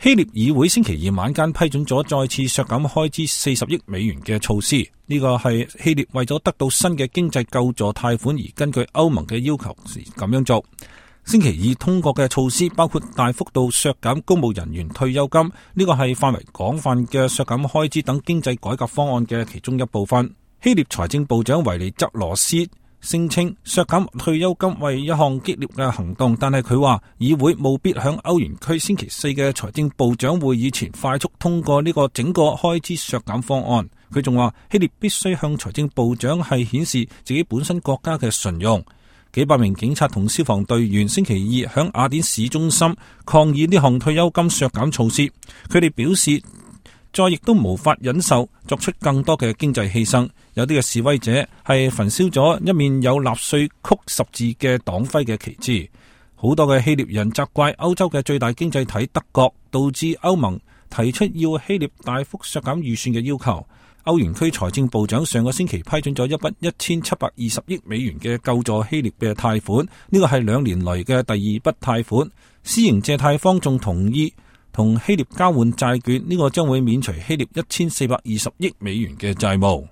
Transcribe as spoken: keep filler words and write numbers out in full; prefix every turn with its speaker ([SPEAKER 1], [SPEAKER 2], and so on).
[SPEAKER 1] 希臘議會星期二晚間批准咗再次削減開支四十億美元嘅措施，呢個係希臘為咗得到新嘅經濟救助貸款而根據歐盟嘅要求時咁樣做。星期二通過嘅措施包括大幅度削減公務人員退休金，呢個係範圍廣泛嘅削減開支等經濟改革方案嘅其中一部分。希臘財政部長維尼澤羅斯聲稱削減退休金為一項激烈嘅行動，但係佢話議會務必響歐元區星期四嘅財政部長會議前快速通過呢個整個開支削減方案。佢仲話希臘必須向財政部長係顯示自己本身國家嘅信用。幾百名警察同消防隊員星期二響雅典市中心抗議呢項退休金削減措施，佢哋表示再亦都無法忍受作出更多嘅經濟犧牲。有啲嘅示威者係焚燒咗一面有納粹曲十字嘅黨徽嘅旗幟。好多嘅希臘人責怪歐洲嘅最大經濟體德國，導致歐盟提出要希臘大幅削減預算嘅要求。歐元區財政部長上個星期批准咗一筆一千七百二十億美元嘅救助希臘嘅貸款，呢個係兩年來嘅第二筆貸款。私營借貸方仲同意同希臘交換債券，呢個將會免除希臘一千四百二十億美元嘅債務。